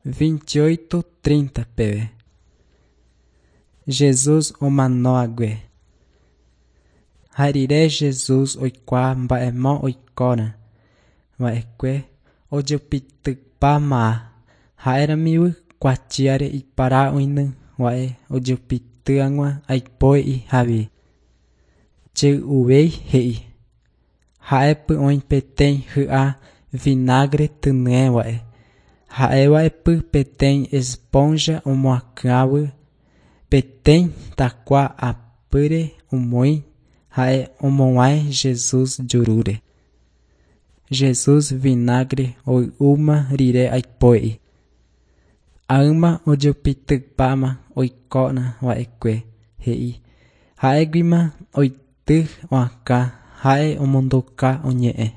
28:30 peve. Jesús omano hague. Ha rire Jesús oikuaa mba'emo oikóna va'ekue ojepitypáma ha'eramívy kuatiáre ipara oĩny va'e ojepity hag̃ua aipo'i havi. Chey'uvéi he'i. Ha'épy oĩ peteĩ hy'a vinagre tyñéva'e. Ha'eva'epy peteĩ esponja omoakãvy peteĩ takua apýre omoĩ ha'e omog̃uahẽ Jesús jurúre. Jesús vinagre hoy'úma rire aipo'i. Ág̃a ojepitypáma oikóna va'ekue, he'i. Ha'eguima oity oakã ha'e omondoka oñe'ẽ.